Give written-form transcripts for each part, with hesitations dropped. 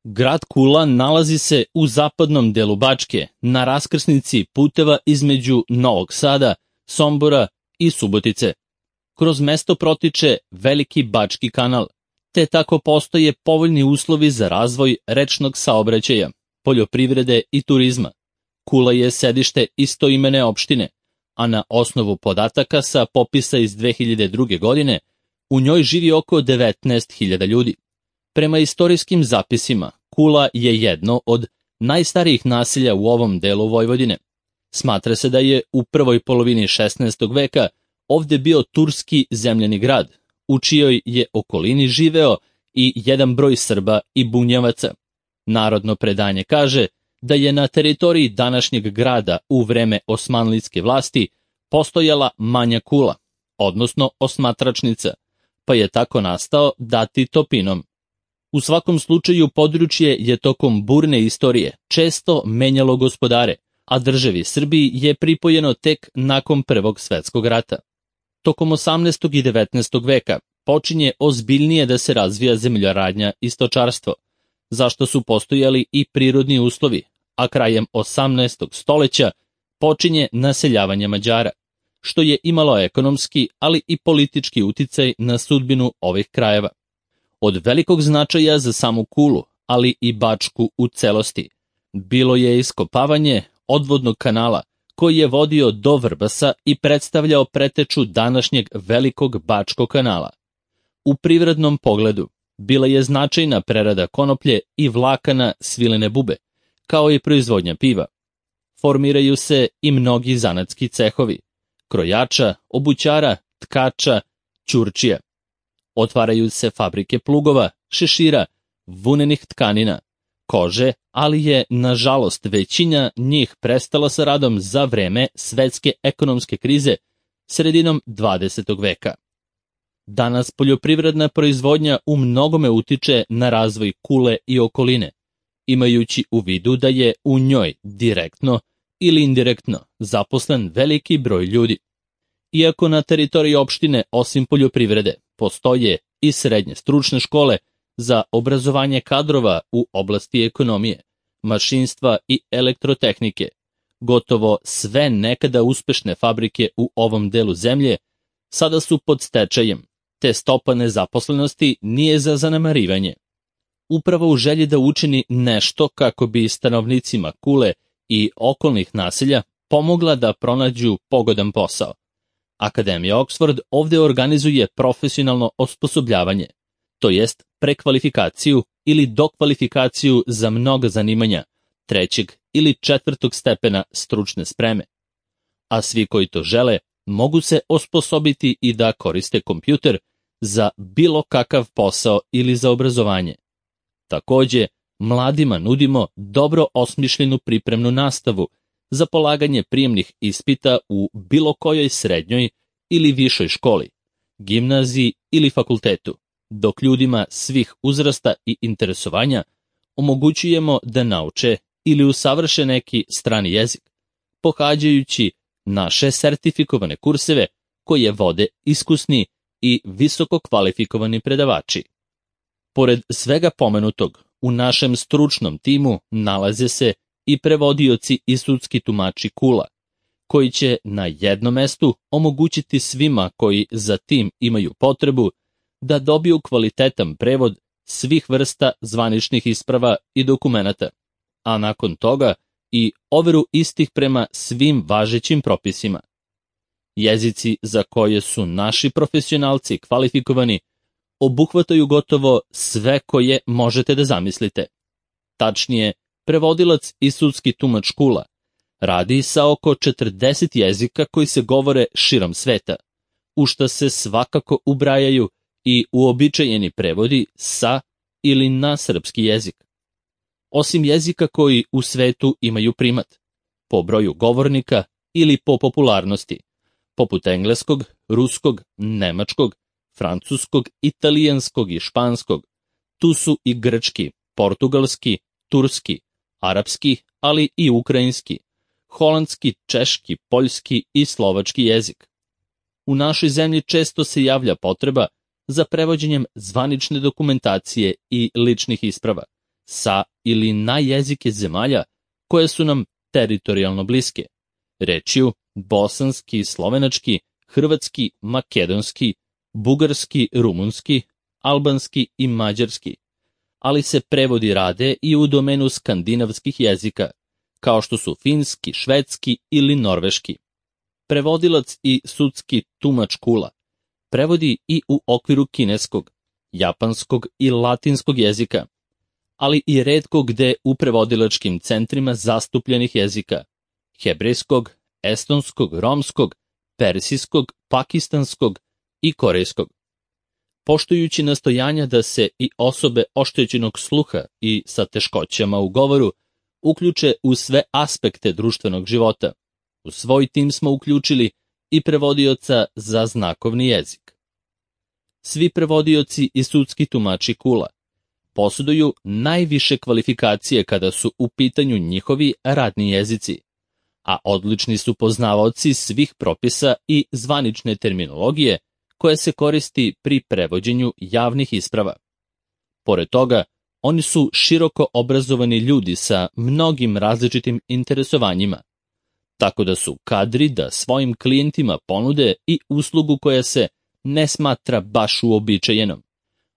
Grad Kula nalazi se u zapadnom delu Bačke, na raskrsnici puteva između Novog Sada, Sombora i Subotice. Kroz mesto protiče Veliki Bački kanal, te tako postoje povoljni uslovi za razvoj rečnog saobraćaja, poljoprivrede i turizma. Kula je sedište istoimene opštine, a na osnovu podataka sa popisa iz 2002. godine u njoj živi oko 19.000 ljudi. Prema istorijskim zapisima, Kula je jedno od najstarijih naselja u ovom delu Vojvodine. Smatra se da je u prvoj polovini 16. veka ovde bio turski zemljani grad, u čijoj je okolini živeo i jedan broj Srba i Bunjevaca. Narodno predanje kaže da je na teritoriji današnjeg grada u vreme osmanlijske vlasti postojala manja Kula, odnosno osmatračnica, pa je tako nastao dati Topinom. U svakom slučaju područje je tokom burne istorije često menjalo gospodare, a državi Srbiji je pripojeno tek nakon Prvog svetskog rata. Tokom 18. i 19. veka počinje ozbiljnije da se razvija zemljoradnja i stočarstvo, zašto su postojali i prirodni uslovi, a krajem 18. stoleća počinje naseljavanje Mađara, što je imalo ekonomski, ali i politički uticaj na sudbinu ovih krajeva. Od velikog značaja za samu Kulu, ali i Bačku u celosti, bilo je iskopavanje odvodnog kanala koji je vodio do Vrbasa i predstavljao preteču današnjeg Velikog Bačkog kanala. U privrednom pogledu bila je značajna prerada konoplje i vlakana svilene bube, kao i proizvodnja piva. Formiraju se i mnogi zanatski cehovi, krojača, obućara, tkača, ćurčija. Otvaraju se fabrike plugova, šešira, vunenih tkanina, kože, ali je, nažalost, većina njih prestala sa radom za vreme svetske ekonomske krize sredinom 20. veka. Danas poljoprivredna proizvodnja u mnogome utiče na razvoj Kule i okoline, imajući u vidu da je u njoj direktno ili indirektno zaposlen veliki broj ljudi. Iako na teritoriji opštine osim poljoprivrede postoje i srednje stručne škole za obrazovanje kadrova u oblasti ekonomije, mašinstva i elektrotehnike, gotovo sve nekada uspešne fabrike u ovom delu zemlje sada su pod stečajem, te stopa nezaposlenosti nije za zanemarivanje. Upravo u želji da učini nešto kako bi stanovnicima Kule i okolnih naselja pomogla da pronađu pogodan posao, Akademija Oxford ovde organizuje profesionalno osposobljavanje, to jest prekvalifikaciju ili dokvalifikaciju za mnoga zanimanja 3. ili 4. stepena stručne spreme. A svi koji to žele mogu se osposobiti i da koriste kompjuter za bilo kakav posao ili za obrazovanje. Takođe, mladima nudimo dobro osmišljenu pripremnu nastavu za polaganje prijemnih ispita u bilo kojoj srednjoj ili višoj školi, gimnaziji ili fakultetu, dok ljudima svih uzrasta i interesovanja omogućujemo da nauče ili usavrše neki strani jezik, pohađajući naše sertifikovane kurseve koje vode iskusni i visoko kvalifikovani predavači. Pored svega pomenutog, u našem stručnom timu nalaze se i prevodioci i sudski tumači Kula, koji će na jednom mestu omogućiti svima koji za tim imaju potrebu da dobiju kvalitetan prevod svih vrsta zvaničnih isprava i dokumenata, a nakon toga i overu istih prema svim važećim propisima. Jezici za koje su naši profesionalci kvalifikovani obuhvataju gotovo sve koje možete da zamislite. Tačnije, prevodilac i sudski tumač Kula radi sa oko 40 jezika koji se govore širom sveta, u šta se svakako ubrajaju i uobičajeni prevodi sa ili na srpski jezik. Osim jezika koji u svetu imaju primat, po broju govornika ili po popularnosti, poput engleskog, ruskog, nemačkog, francuskog, italijanskog i španskog, tu su i grčki, portugalski, turski, arapski, ali i ukrajinski, holandski, češki, poljski i slovački jezik. U našoj zemlji često se javlja potreba za prevođenjem zvanične dokumentacije i ličnih isprava, sa ili na jezike zemalja koje su nam teritorijalno bliske, rečju bosanski, slovenački, hrvatski, makedonski, bugarski, rumunski, albanski i mađarski, ali se prevodi rade i u domenu skandinavskih jezika, kao što su finski, švedski ili norveški. Prevodilac i sudski tumač kula prevodi i u okviru kineskog, japanskog i latinskog jezika, ali i retko gde u prevodilačkim centrima zastupljenih jezika, hebrejskog, estonskog, romskog, persijskog, pakistanskog i korejskog. Poštujući nastojanja da se i osobe oštećenog sluha i sa teškoćama u govoru uključe u sve aspekte društvenog života, u svoj tim smo uključili i prevodioca za znakovni jezik. Svi prevodioci i sudski tumači kula posjeduju najviše kvalifikacije kada su u pitanju njihovi radni jezici, a odlični su poznavaoci svih propisa i zvanične terminologije koja se koristi pri prevođenju javnih isprava. Pored toga, oni su široko obrazovani ljudi sa mnogim različitim interesovanjima, tako da su kadri da svojim klijentima ponude i uslugu koja se ne smatra baš uobičajenom,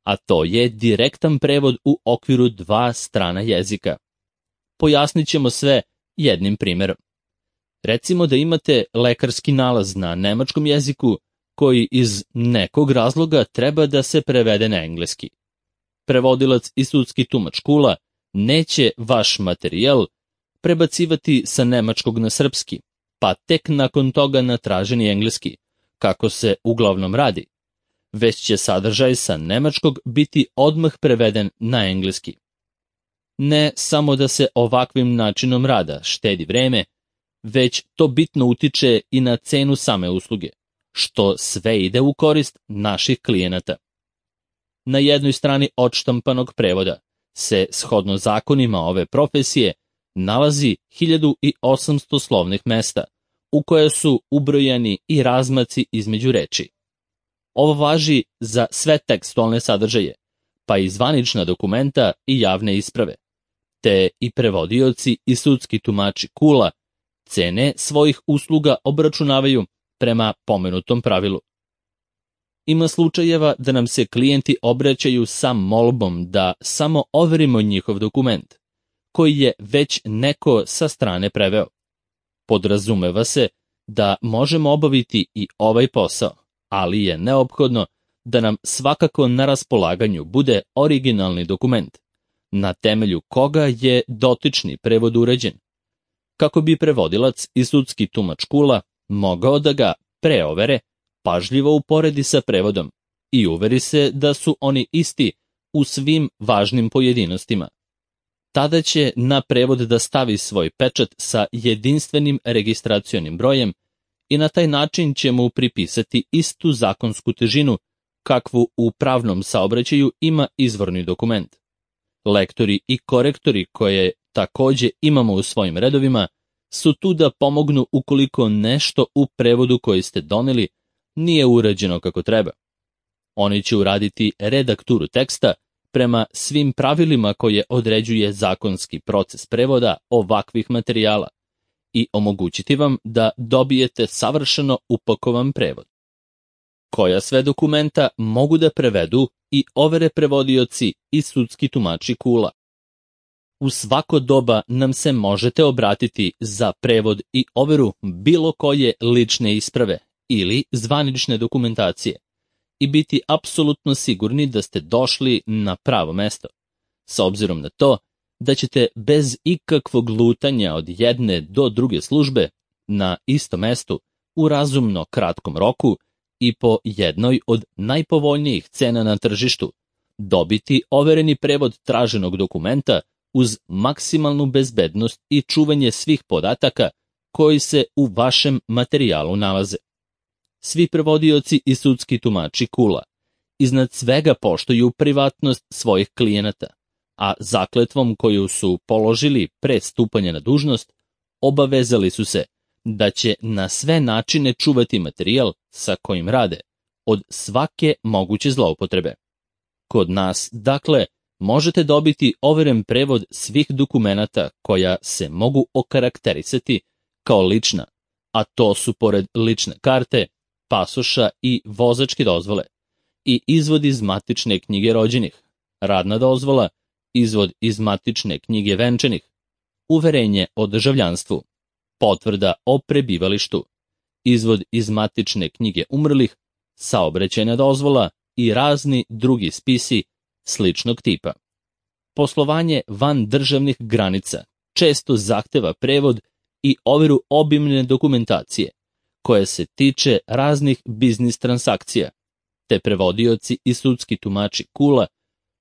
a to je direktan prevod u okviru 2 strana jezika. Pojasnit ćemo sve jednim primjerom. Recimo da imate lekarski nalaz na nemačkom jeziku koji iz nekog razloga treba da se prevede na engleski. Prevodilac i sudski tumač kula neće vaš materijal prebacivati sa nemačkog na srpski, pa tek nakon toga na traženi engleski, kako se uglavnom radi, već će sadržaj sa nemačkog biti odmah preveden na engleski. Ne samo da se ovakvim načinom rada štedi vreme, već to bitno utiče i na cenu same usluge, što sve ide u korist naših klijenata. Na jednoj strani odštampanog prevoda se, shodno zakonima ove profesije, nalazi 1800 slovnih mesta, u koje su ubrojani i razmaci između reči. Ovo važi za sve tekstualne sadržaje, pa i zvanična dokumenta i javne isprave, te i prevodioci i sudski tumači kula cene svojih usluga obračunavaju prema pomenutom pravilu. Ima slučajeva da nam se klijenti obraćaju sa molbom da samo overimo njihov dokument, koji je već neko sa strane preveo. Podrazumeva se da možemo obaviti i ovaj posao, ali je neophodno da nam svakako na raspolaganju bude originalni dokument, na temelju koga je dotični prevod urađen, kako bi prevodilac i sudski tumač kula mogao da ga preovere, pažljivo uporedi sa prevodom i uveri se da su oni isti u svim važnim pojedinostima. Tada će na prevod da stavi svoj pečat sa jedinstvenim registracionim brojem i na taj način će mu pripisati istu zakonsku težinu kakvu u pravnom saobraćaju ima izvorni dokument. Lektori i korektori koje takođe imamo u svojim redovima su tu da pomognu ukoliko nešto u prevodu koji ste doneli nije urađeno kako treba. Oni će uraditi redakturu teksta prema svim pravilima koje određuje zakonski proces prevoda ovakvih materijala i omogućiti vam da dobijete savršeno upakovan prevod. Koja sve dokumenta mogu da prevedu i overe prevodioci i sudski tumači kula. U svako doba nam se možete obratiti za prevod i overu bilo koje lične isprave ili zvanične dokumentacije i biti apsolutno sigurni da ste došli na pravo mesto, s obzirom na to da ćete bez ikakvog lutanja od jedne do druge službe na istom mestu u razumno kratkom roku i po jednoj od najpovoljnijih cena na tržištu dobiti overeni prevod traženog dokumenta uz maksimalnu bezbednost i čuvanje svih podataka koji se u vašem materijalu nalaze. Svi prevodioci i sudski tumači kula iznad svega poštuju privatnost svojih klijenata, a zakletvom koju su položili pre stupanja na dužnost obavezali su se da će na sve načine čuvati materijal sa kojim rade od svake moguće zloupotrebe. Kod nas, dakle, možete dobiti overen prevod svih dokumenata koja se mogu okarakterisati kao lična, a to su pored lične karte, pasoša i vozačke dozvole, i izvod iz matične knjige rođenih, radna dozvola, izvod iz matične knjige venčanih, uverenje o državljanstvu, potvrda o prebivalištu, izvod iz matične knjige umrlih, saobraćajna dozvola i razni drugi spisi sličnog tipa. Poslovanje van državnih granica često zahteva prevod i overu obimne dokumentacije, koja se tiče raznih biznis transakcija, te prevodioci i sudski tumači KUL-a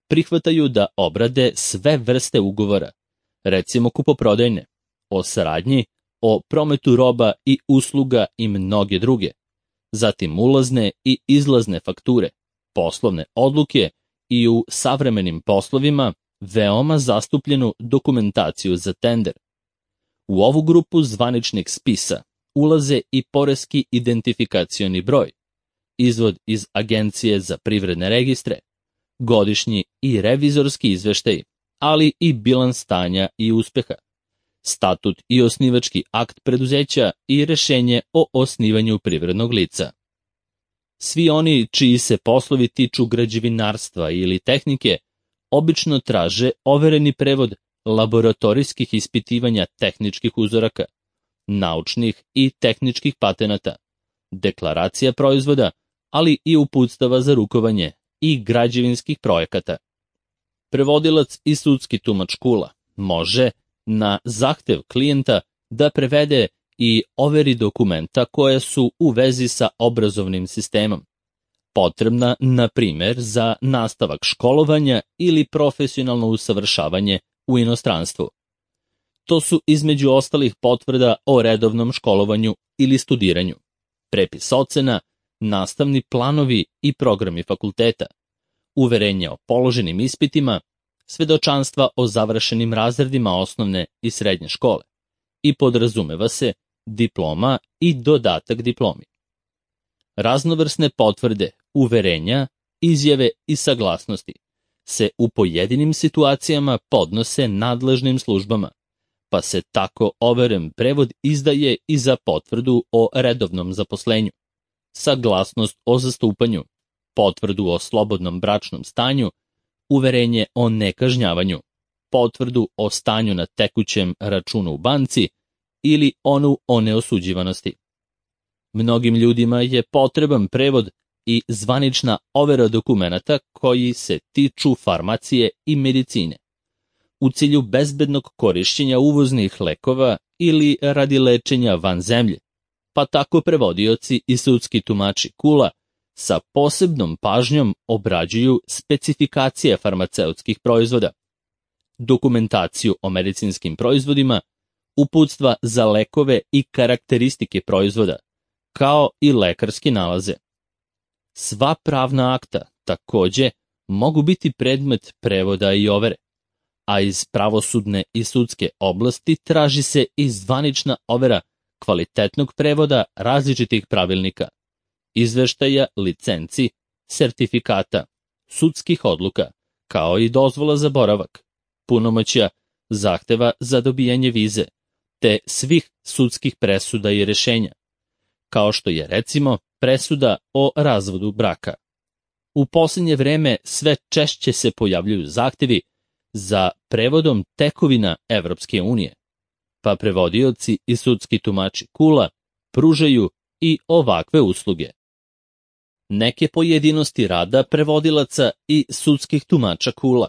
prihvataju da obrade sve vrste ugovora, recimo kupoprodajne, o saradnji, o prometu roba i usluga i mnoge druge, zatim ulazne i izlazne fakture, poslovne odluke i u savremenim poslovima veoma zastupljenu dokumentaciju za tender. U ovu grupu zvaničnih spisa ulaze i poreski identifikacioni broj, izvod iz Agencije za privredne registre, godišnji i revizorski izveštaj, ali i bilans stanja i uspeha, statut i osnivački akt preduzeća i rešenje o osnivanju privrednog lica. Svi oni čiji se poslovi tiču građevinarstva ili tehnike obično traže overeni prevod laboratorijskih ispitivanja tehničkih uzoraka, naučnih i tehničkih patenata, deklaracija proizvoda, ali i uputstava za rukovanje i građevinskih projekata. Prevodilac i sudski tumač KUL-a može, na zahtev klijenta, da prevede i overi dokumenta koja su u vezi sa obrazovnim sistemom, potrebna, na primer, za nastavak školovanja ili profesionalno usavršavanje u inostranstvu. To su između ostalih potvrda o redovnom školovanju ili studiranju, prepis ocena, nastavni planovi i programi fakulteta, uverenje o položenim ispitima, svedočanstva o završenim razredima osnovne i srednje škole i podrazumeva se diploma i dodatak diplomi. Raznovrsne potvrde, uverenja, izjave i saglasnosti se u pojedinim situacijama podnose nadležnim službama, pa se tako overen prevod izdaje i za potvrdu o redovnom zaposlenju, saglasnost o zastupanju, potvrdu o slobodnom bračnom stanju, uverenje o nekažnjavanju, potvrdu o stanju na tekućem računu u banci ili onu o neosuđivanosti. Mnogim ljudima je potreban prevod i zvanična overa dokumenata koji se tiču farmacije i medicine, u cilju bezbednog korišćenja uvoznih lekova ili radi lečenja van zemlje, pa tako prevodioci i sudski tumači KUL-a sa posebnom pažnjom obrađuju specifikacije farmaceutskih proizvoda, dokumentaciju o medicinskim proizvodima, uputstva za lekove i karakteristike proizvoda, kao i lekarske nalaze. Sva pravna akta takođe mogu biti predmet prevoda i overe, a iz pravosudne i sudske oblasti traži se i zvanična overa kvalitetnog prevoda različitih pravilnika, izveštaja, licenci, sertifikata, sudskih odluka, kao i dozvola za boravak, punomoćja, zahteva za dobijanje vize, te svih sudskih presuda i rešenja, kao što je recimo presuda o razvodu braka. U posljednje vreme sve češće se pojavljuju zahtevi za prevodom tekovina Evropske unije, pa prevodioci i sudski tumači KUL-a pružaju i ovakve usluge. Neke pojedinosti rada prevodilaca i sudskih tumača KUL-a.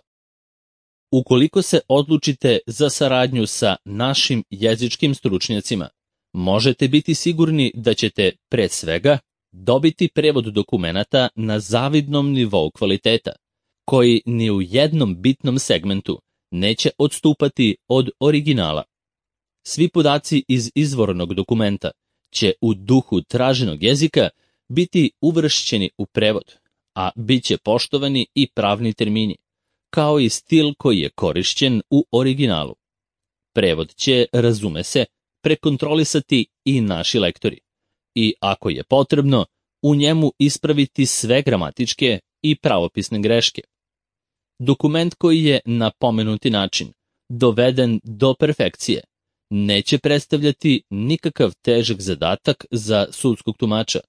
Ukoliko se odlučite za saradnju sa našim jezičkim stručnjacima, možete biti sigurni da ćete, pre svega, dobiti prevod dokumenata na zavidnom nivou kvaliteta, koji ni u jednom bitnom segmentu neće odstupati od originala. Svi podaci iz izvornog dokumenta će u duhu traženog jezika biti uvršćeni u prevod, a bit će poštovani i pravni termini, kao i stil koji je korišćen u originalu. Prevod će, razume se, prekontrolisati i naši lektori i, ako je potrebno, u njemu ispraviti sve gramatičke i pravopisne greške. Dokument koji je na pomenuti način doveden do perfekcije neće predstavljati nikakav težak zadatak za sudskog tumača,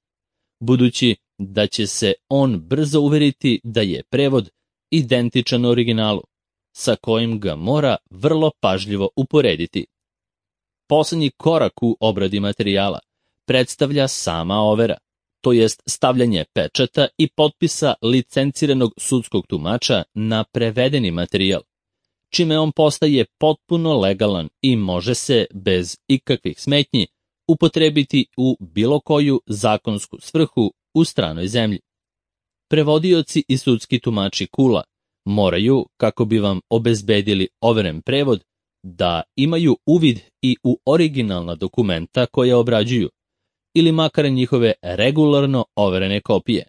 budući da će se on brzo uveriti da je prevod identičan originalu, sa kojim ga mora vrlo pažljivo uporediti. Poslednji korak u obradi materijala predstavlja sama overa, to jest stavljanje pečata i potpisa licenciranog sudskog tumača na prevedeni materijal, čime on postaje potpuno legalan i može se, bez ikakvih smetnji, upotrebiti u bilo koju zakonsku svrhu u stranoj zemlji. Prevodioci i sudski tumači KUL-a moraju, kako bi vam obezbedili overen prevod, da imaju uvid i u originalna dokumenta koje obrađuju, ili makar njihove regularno overene kopije,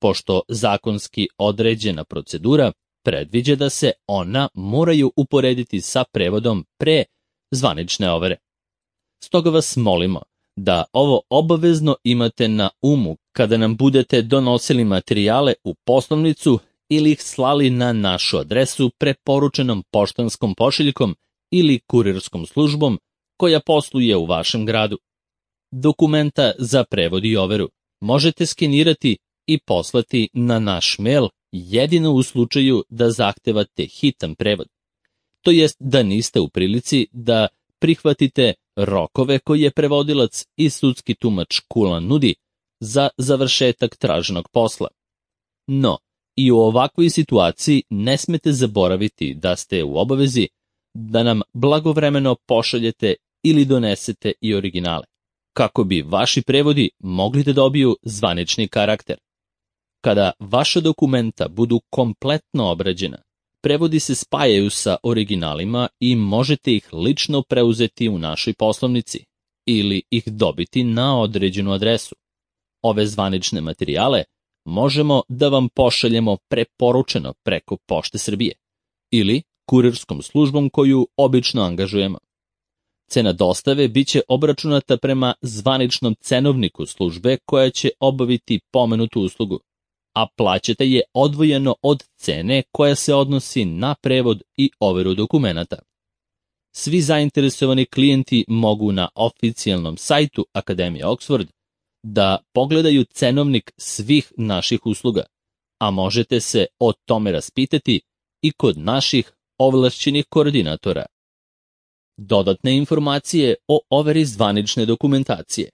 pošto zakonski određena procedura predviđa da se ona moraju uporediti sa prevodom pre zvanične overe. Stoga vas molimo da ovo obavezno imate na umu kada nam budete donosili materijale u poslovnicu ili ih slali na našu adresu preporučenom poštanskom pošiljkom ili kurirskom službom koja posluje u vašem gradu. Dokumenta za prevod i overu možete skenirati i poslati na naš mail jedino u slučaju da zahtevate hitan prevod, to jest da niste u prilici da prihvatite rokove koje je prevodilac i sudski tumač KUL-a nudi za završetak traženog posla. No, i u ovakvoj situaciji ne smete zaboraviti da ste u obavezi da nam blagovremeno pošaljete ili donesete i originale, kako bi vaši prevodi mogli da dobiju zvanični karakter. Kada vaša dokumenta budu kompletno obrađena, prevodi se spajaju sa originalima i možete ih lično preuzeti u našoj poslovnici ili ih dobiti na određenu adresu. Ove zvanične materijale možemo da vam pošaljemo preporučeno preko Pošte Srbije ili kurirskom službom koju obično angažujemo. Cena dostave biće obračunata prema zvaničnom cenovniku službe koja će obaviti pomenutu uslugu, a plaćate je odvojeno od cene koja se odnosi na prevod i overu dokumenata. Svi zainteresovani klijenti mogu na oficijalnom sajtu Akademije Oxford da pogledaju cenovnik svih naših usluga, a možete se o tome raspitati i kod naših ovlašćenih koordinatora. Dodatne informacije o overi zvanične dokumentacije.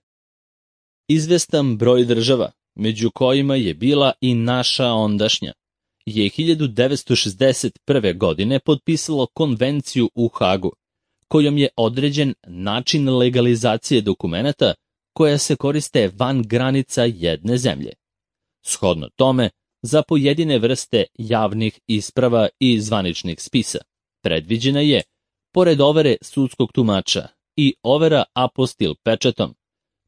Izvestan broj država, među kojima je bila i naša ondašnja, je 1961. godine potpisalo konvenciju u Hagu, kojom je određen način legalizacije dokumenata koja se koriste van granica jedne zemlje. Shodno tome, za pojedine vrste javnih isprava i zvaničnih spisa predviđena je, pored overe sudskog tumača, i overa apostil pečatom,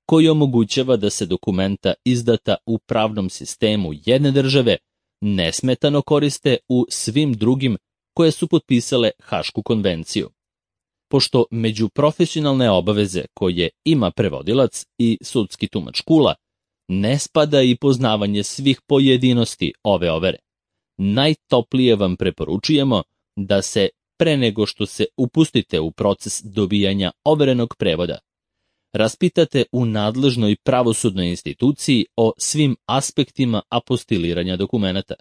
koji omogućava da se dokumenta izdata u pravnom sistemu jedne države nesmetano koriste u svim drugim koje su potpisale Hašku konvenciju. Pošto među profesionalne obaveze koje ima prevodilac i sudski tumač KUL-a ne spada i poznavanje svih pojedinosti ove overe, najtoplije vam preporučujemo da se pre nego što se upustite u proces dobijanja overenog prevoda, raspitate u nadležnoj pravosudnoj instituciji o svim aspektima apostiliranja dokumenata.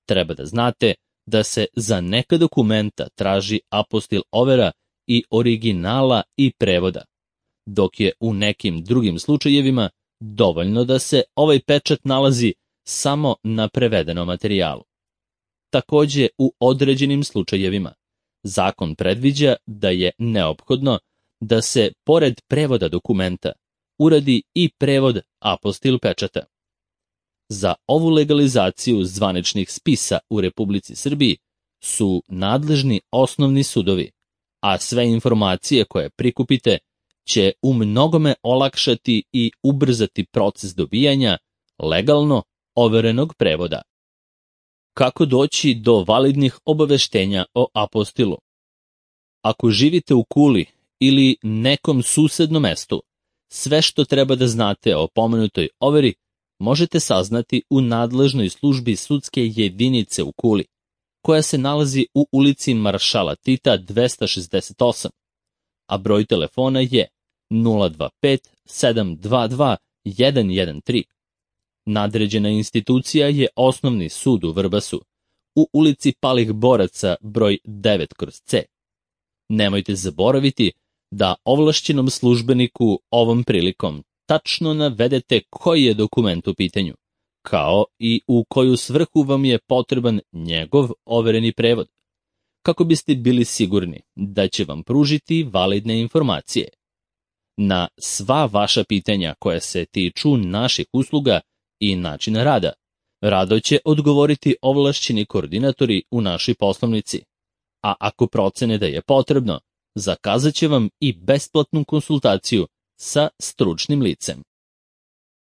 Treba da znate da se za neka dokumenta traži apostil overa i originala i prevoda, dok je u nekim drugim slučajevima dovoljno da se ovaj pečat nalazi samo na prevedenom materijalu. Takođe, u određenim slučajevima zakon predviđa da je neophodno da se, pored prevoda dokumenta, uradi i prevod apostil pečata. Za ovu legalizaciju zvaničnih spisa u Republici Srbiji su nadležni osnovni sudovi, a sve informacije koje prikupite će u mnogome olakšati i ubrzati proces dobijanja legalno overenog prevoda. Kako doći do validnih obaveštenja o apostilu? Ako živite u Kuli ili nekom susednom mestu, sve što treba da znate o pomenutoj overi možete saznati u nadležnoj službi sudske jedinice u Kuli, koja se nalazi u ulici Maršala Tita 268, a broj telefona je 025 722 113. Nadređena institucija je Osnovni sud u Vrbasu, u ulici Palih boraca broj 9/C. Nemojte zaboraviti da ovlašćenom službeniku ovom prilikom tačno navedete koji je dokument u pitanju, kao i u koju svrhu vam je potreban njegov overeni prevod, kako biste bili sigurni da će vam pružiti validne informacije. Na sva vaša pitanja koja se tiču naših usluga i načina rada, rado će odgovoriti ovlašćeni koordinatori u našoj poslovnici, a ako procene da je potrebno, zakazat će vam i besplatnu konsultaciju sa stručnim licem.